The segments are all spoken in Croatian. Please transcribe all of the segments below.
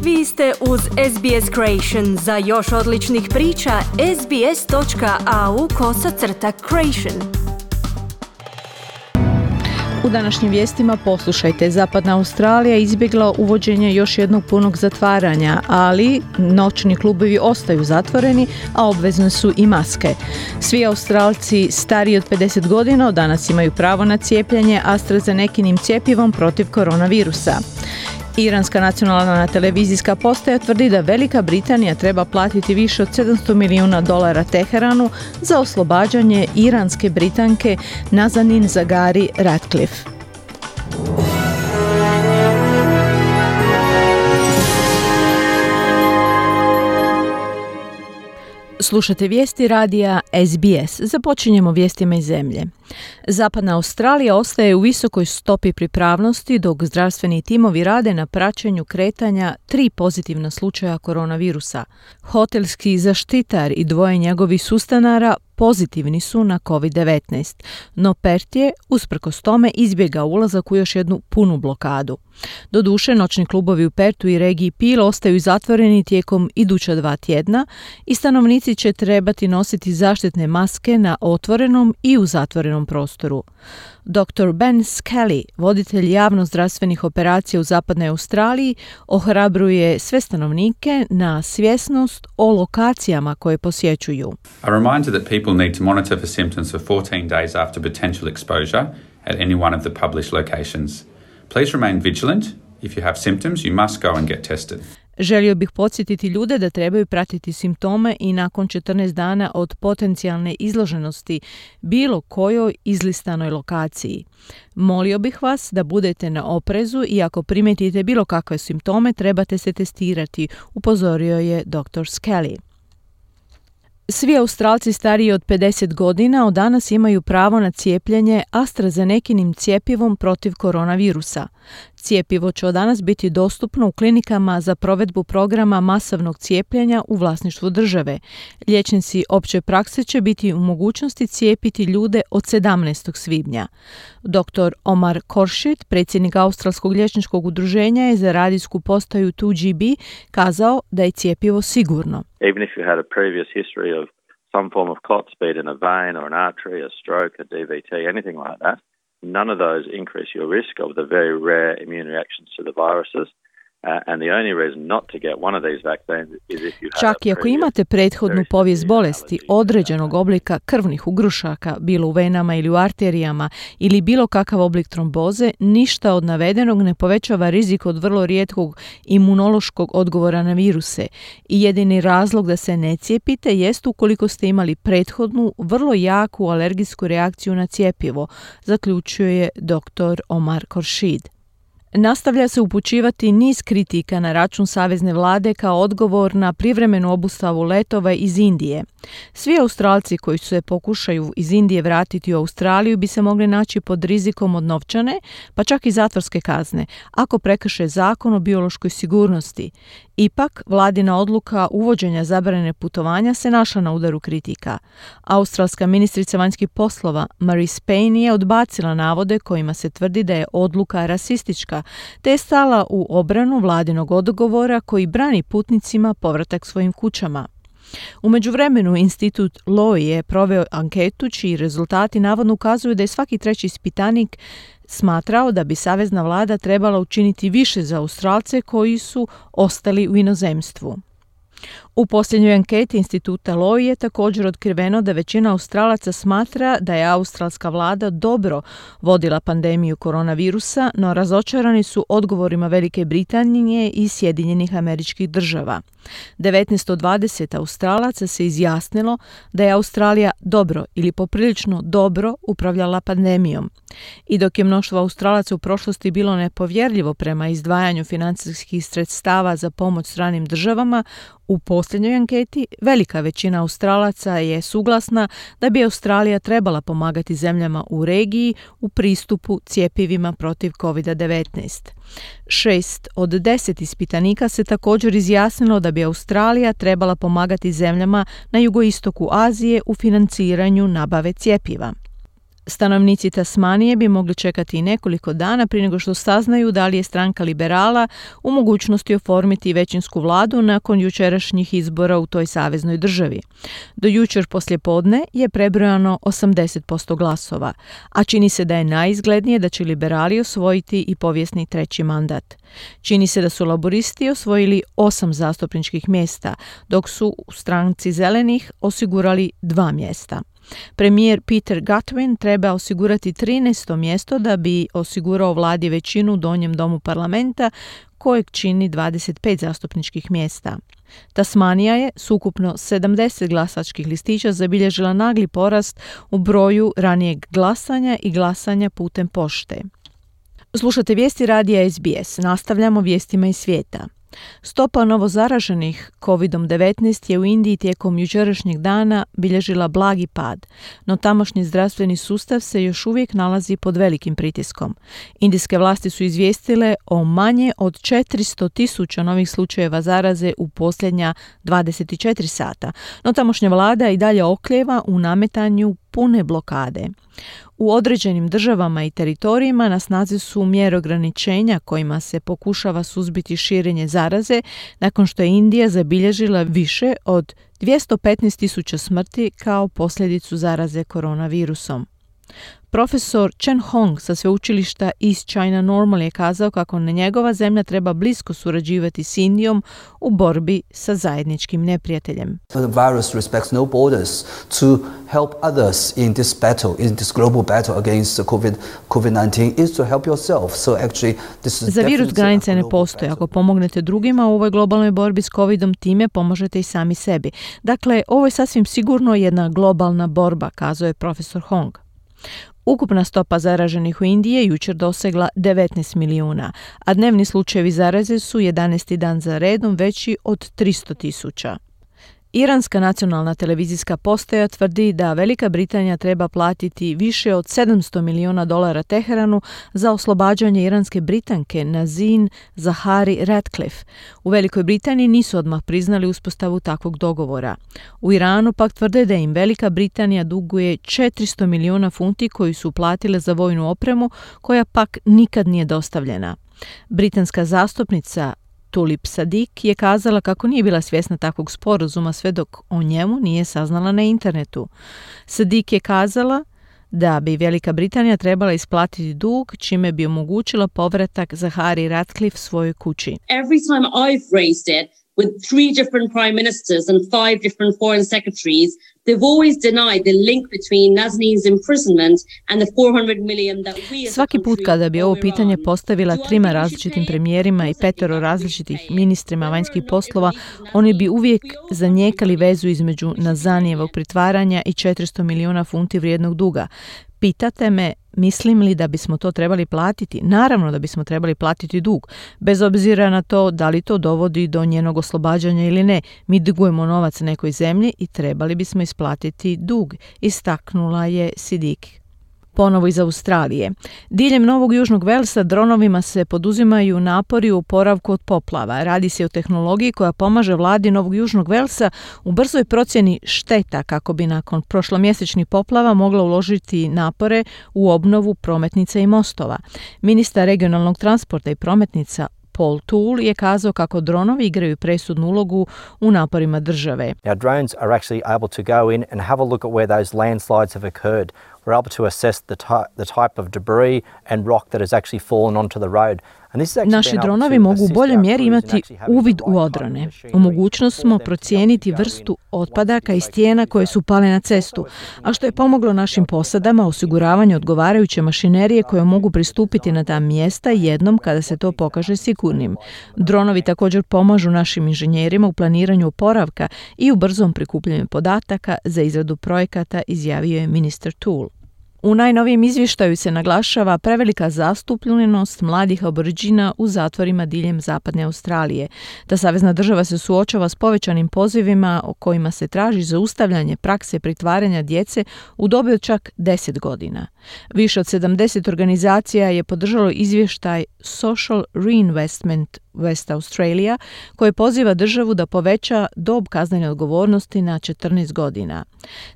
Vi ste uz SBS Creation. Za još odličnih priča, sbs.au/creation. U današnjim vijestima poslušajte, Zapadna Australija izbjegla uvođenje još jednog punog zatvaranja, ali noćni klubovi ostaju zatvoreni, a obvezne su i maske. Svi Australci stariji od 50 godina od danas imaju pravo na cijepljenje AstraZenekinim cjepivom protiv koronavirusa. Iranska nacionalna televizijska postaja tvrdi da Velika Britanija treba platiti više od $700 milijuna Teheranu za oslobađanje iranske Britanke Nazanin Zaghari Ratcliffe. Slušate vijesti radija SBS. Započinjemo vijestima iz zemlje. Zapadna Australija ostaje u visokoj stopi pripravnosti dok zdravstveni timovi rade na praćenju kretanja 3 pozitivna slučaja koronavirusa. Hotelski zaštitar i 2 njegovih sustanara pozitivni su na COVID-19, no Perth je usprkos tome izbjegao ulazak u još jednu punu blokadu. Doduše, noćni klubovi u Perthu i regiji Peel ostaju zatvoreni tijekom iduća 2 tjedna i stanovnici će trebati nositi zaštitne maske na otvorenom i u zatvorenom prostoru. Dr. Ben Skelly, voditelj javno-zdravstvenih operacija u Zapadnoj Australiji, ohrabruje sve stanovnike na svjesnost o lokacijama koje posjećuju. A reminder that people need to monitor for symptoms for 14 days after potential exposure at any one of the published locations. Please remain vigilant. If you have symptoms, you must go and get tested. Želio bih podsjetiti ljude da trebaju pratiti simptome i nakon 14 dana od potencijalne izloženosti bilo kojoj izlistanoj lokaciji. Molio bih vas da budete na oprezu i ako primijetite bilo kakve simptome trebate se testirati, upozorio je dr. Skelly. Svi Australci stariji od 50 godina od danas imaju pravo na cijepljenje AstraZenekinim cjepivom protiv koronavirusa. Cjepivo će od danas biti dostupno u klinikama za provedbu programa masovnog cijepljenja u vlasništvu države. Liječnici opće prakse će biti u mogućnosti cijepiti ljude od 17. svibnja. Dr. Omar Khorshid, predsjednik Australskog liječničkog udruženja, je za radijsku postaju 2GB kazao da je cjepivo sigurno. Even if you had a previous history of some form of clots, be it in a vein or an artery, a stroke, a DVT, anything like that, none of those increase your risk of the very rare immune reactions to the viruses. And the only reason not to get one of these vaccines is if you have Čak i ako imate prethodnu povijest bolesti određenog oblika krvnih ugrušaka, bilo u venama ili u arterijama, ili bilo kakav oblik tromboze, ništa od navedenog ne povećava rizik od vrlo rijetkog imunološkog odgovora na viruse. I jedini razlog da se ne cijepite jest ukoliko ste imali prethodnu, vrlo jaku alergijsku reakciju na cjepivo, zaključuje dr. Omar Khorshid. Nastavlja se upućivati niz kritika na račun savezne vlade kao odgovor na privremenu obustavu letova iz Indije. Svi Australci koji se pokušaju iz Indije vratiti u Australiju bi se mogli naći pod rizikom od novčane, pa čak i zatvorske kazne, ako prekrše zakon o biološkoj sigurnosti. Ipak, vladina odluka uvođenja zabrane putovanja se našla na udaru kritika. Australska ministrica vanjskih poslova Marise Payne je odbacila navode kojima se tvrdi da je odluka rasistička, te je stala u obranu vladinog odgovora koji brani putnicima povratak svojim kućama. U međuvremenu, institut Lowy je proveo anketu čiji rezultati navodno ukazuju da je svaki 3. ispitanik smatrao da bi savezna vlada trebala učiniti više za Australce koji su ostali u inozemstvu. U posljednjoj anketi instituta Lowy je također otkriveno da većina Australaca smatra da je australska vlada dobro vodila pandemiju koronavirusa, no razočarani su odgovorima Velike Britanije i Sjedinjenih Američkih Država. 19 od 20 Australaca se izjasnilo da je Australija dobro ili poprilično dobro upravljala pandemijom. I dok je mnoštvo Australaca u prošlosti bilo nepovjerljivo prema izdvajanju financijskih sredstava za pomoć stranim državama, u posljednjoj anketi velika većina Australaca je suglasna da bi Australija trebala pomagati zemljama u regiji u pristupu cjepivima protiv COVID-19. 6 od 10 ispitanika se također izjasnilo da bi Australija trebala pomagati zemljama na jugoistoku Azije u financiranju nabave cjepiva. Stanovnici Tasmanije bi mogli čekati i nekoliko dana prije nego što saznaju da li je stranka liberala u mogućnosti oformiti većinsku vladu nakon jučerašnjih izbora u toj saveznoj državi. Do jučer poslijepodne je prebrojano 80% glasova, a čini se da je najizglednije da će liberali osvojiti i povijesni treći mandat. Čini se da su laboristi osvojili 8 zastupničkih mjesta, dok su u stranci zelenih osigurali 2 mjesta. Premijer Peter Gutwein treba osigurati 13. mjesto da bi osigurao vladi većinu u donjem domu parlamenta, kojeg čini 25 zastupničkih mjesta. Tasmanija je s ukupno 70 glasačkih listića zabilježila nagli porast u broju ranijeg glasanja i glasanja putem pošte. Slušate vijesti radija SBS. Nastavljamo vijestima iz svijeta. Stopa novozaraženih COVID-19 je u Indiji tijekom jučerašnjeg dana bilježila blagi pad, no tamošnji zdravstveni sustav se još uvijek nalazi pod velikim pritiskom. Indijske vlasti su izvijestile o manje od 400,000 novih slučajeva zaraze u posljednja 24 sata, no tamošnja vlada i dalje oklijeva u nametanju pune blokade. U određenim državama i teritorijima na snazi su mjere ograničenja kojima se pokušava suzbiti širenje zaraze nakon što je Indija zabilježila više od 215,000 smrti kao posljedicu zaraze koronavirusom. Profesor Chen Hong sa sveučilišta East China Normal je kazao kako njegova zemlja treba blisko surađivati s Indijom u borbi sa zajedničkim neprijateljem. The virus respects no borders. To help others in this battle, in this global battle against COVID-19 is to help yourself. So actually this is Za virus granice ne postoje. Ako pomognete drugima u ovoj globalnoj borbi s covidom, time pomožete i sami sebi. Dakle, ovo je sasvim sigurno jedna globalna borba, kazao je profesor Hong. Ukupna stopa zaraženih u Indiji je jučer dosegla 19 milijuna, a dnevni slučajevi zaraze su 11. dan za redom veći od 300,000. Iranska nacionalna televizijska postaja tvrdi da Velika Britanija treba platiti više od $700 miliona Teheranu za oslobađanje iranske Britanke Nazin Zahari Ratcliffe. U Velikoj Britaniji nisu odmah priznali uspostavu takvog dogovora. U Iranu pak tvrde da im Velika Britanija duguje 400 milijuna funti koji su platile za vojnu opremu, koja pak nikad nije dostavljena. Britanska zastupnica Tulip Sadik je kazala kako nije bila svjesna takvog sporazuma sve dok o njemu nije saznala na internetu. Sadik je kazala da bi Velika Britanija trebala isplatiti dug, čime bi omogućila povratak Zahari Ratcliffe svojoj kući. Every time I've raised it with 3 different prime ministers and 5 different foreign secretaries, they've always denied the link between Nazanin's imprisonment and the 400 million that we as a Svaki put country kada bi ovo owe pitanje Iran. postavila 3 različitim premijerima i 5 različitih ministrima vanjskih poslova, oni bi uvijek zanijekali vezu između Nazanijevog pritvaranja i 400 milijuna funti vrijednog duga. Pitate me, mislim li da bismo to trebali platiti? Naravno da bismo trebali platiti dug, bez obzira na to da li to dovodi do njenog oslobađanja ili ne. Mi dugujemo novac nekoj zemlji i trebali bismo isplatiti dug, istaknula je Sidik. Ponovo iz Australije. Diljem Novog Južnog Velsa dronovima se poduzimaju napori u oporavku od poplava. Radi se o tehnologiji koja pomaže vladi Novog Južnog Velsa u brzoj procjeni šteta kako bi nakon prošlomjesečnih poplava mogla uložiti napore u obnovu prometnica i mostova. Ministar regionalnog transporta i prometnica Paul Toole je kazao kako dronovi igraju presudnu ulogu u naporima države. Our drones are actually able to go in and have a look at where those landslides have occurred. We're able to assess the type of debris and rock that has actually fallen onto the road. Naši dronovi mogu u boljoj mjeri imati uvid u odrone. U mogućnost smo procijeniti vrstu otpadaka i stijena koje su pale na cestu, a što je pomoglo našim posadama osiguravanju odgovarajuće mašinerije koje mogu pristupiti na ta mjesta jednom kada se to pokaže sigurnim. Dronovi također pomažu našim inženjerima u planiranju oporavka i u brzom prikupljanju podataka za izradu projekata, izjavio je ministar Toole. U najnovijem izvještaju se naglašava prevelika zastupljenost mladih Aboridžina u zatvorima diljem zapadne Australije. Ta savezna država se suočava s povećanim pozivima o kojima se traži zaustavljanje prakse pritvaranja djece u dobi od čak 10 godina. Više od 70 organizacija je podržalo izvještaj Social Reinvestment West Australia, koje poziva državu da poveća dob kaznene odgovornosti na 14 godina.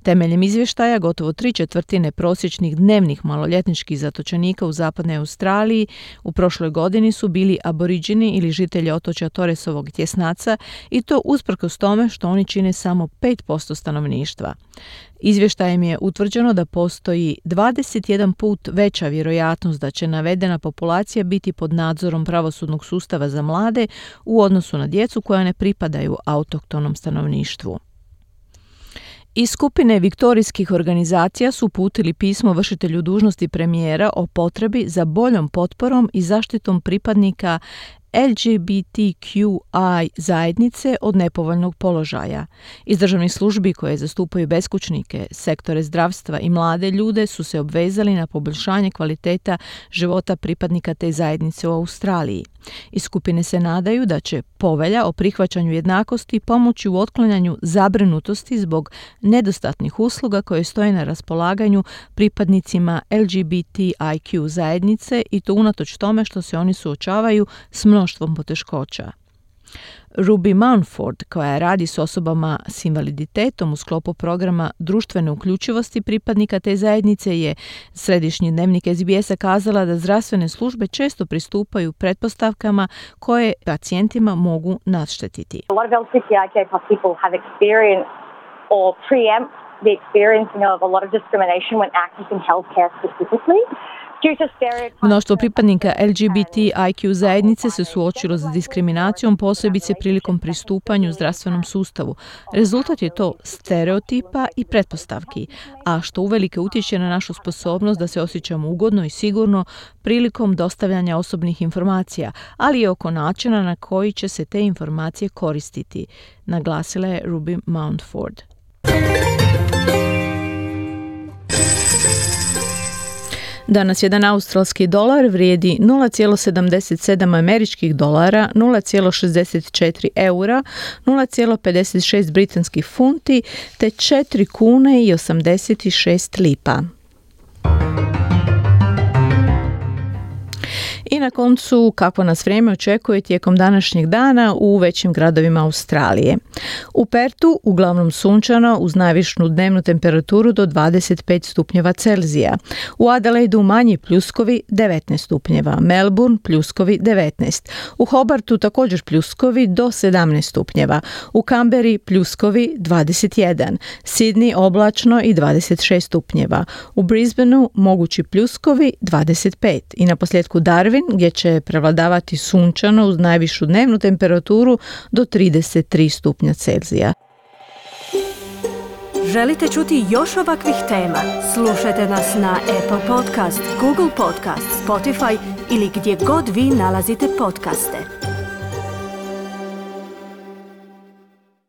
Temeljem izvještaja, gotovo 3/4 prosječnih dnevnih maloljetničkih zatočenika u zapadnoj Australiji u prošloj godini su bili aboriđini ili žitelji otočja Torresovog tjesnaca, i to usprkos tome što oni čine samo 5% stanovništva. Izvještajem je utvrđeno da postoji 21 put veća vjerojatnost da će navedena populacija biti pod nadzorom pravosudnog sustava za mlade u odnosu na djecu koja ne pripadaju autohtonom stanovništvu. Iz skupine viktorijskih organizacija su uputili pismo vršitelju dužnosti premijera o potrebi za boljom potporom i zaštitom pripadnika LGBTQI zajednice od nepovoljnog položaja. Iz državnih službi koje zastupaju beskućnike, sektore zdravstva i mlade ljude su se obvezali na poboljšanje kvaliteta života pripadnika te zajednice u Australiji. Iz skupine se nadaju da će povelja o prihvaćanju jednakosti pomoći u otklanjanju zabrinutosti zbog nedostatnih usluga koje stoje na raspolaganju pripadnicima LGBTIQ zajednice, i to unatoč tome što se oni suočavaju s mnoštvom poteškoća. Ruby Mountford, koja radi s osobama s invaliditetom u sklopu programa društvene uključivosti pripadnika te zajednice, je središnji dnevnik SBS-a kazala da zdravstvene službe često pristupaju pretpostavkama koje pacijentima mogu naštetiti. A lot of LGBTIQ people have experienced or preempt the experiencing of a lot of discrimination when accessing healthcare specifically. Mnoštvo pripadnika LGBTIQ zajednice se suočilo s diskriminacijom, posebice prilikom pristupanju zdravstvenom sustavu. Rezultat je to stereotipa i pretpostavki, a što uvelike utječe na našu sposobnost da se osjećamo ugodno i sigurno prilikom dostavljanja osobnih informacija, ali i oko načina na koji će se te informacije koristiti, naglasila je Ruby Mountford. Danas jedan australski dolar vrijedi 0,77 američkih dolara, 0,64 eura, 0,56 britanskih funti te 4 kune i 86 lipa. I na koncu, kako nas vrijeme očekuje tijekom današnjeg dana u većim gradovima Australije. U Pertu uglavnom sunčano uz najvišu dnevnu temperaturu do 25 stupnjeva Celzija. U Adelaidu manji pljuskovi 19 stupnjeva, Melbourne pljuskovi 19. U Hobartu također pljuskovi do 17 stupnjeva. U Canberri pljuskovi 21. Sydney oblačno i 26 stupnjeva. U Brisbaneu mogući pljuskovi 25. I na posljedku Darwin, gdje će prevladavati sunčano uz najvišu dnevnu temperaturu do 33 stupnja Celzija. Želite čuti još ovakvih tema? Slušajte nas na Apple Podcast, Google Podcast, Spotify ili gdje god vi nalazite podcaste.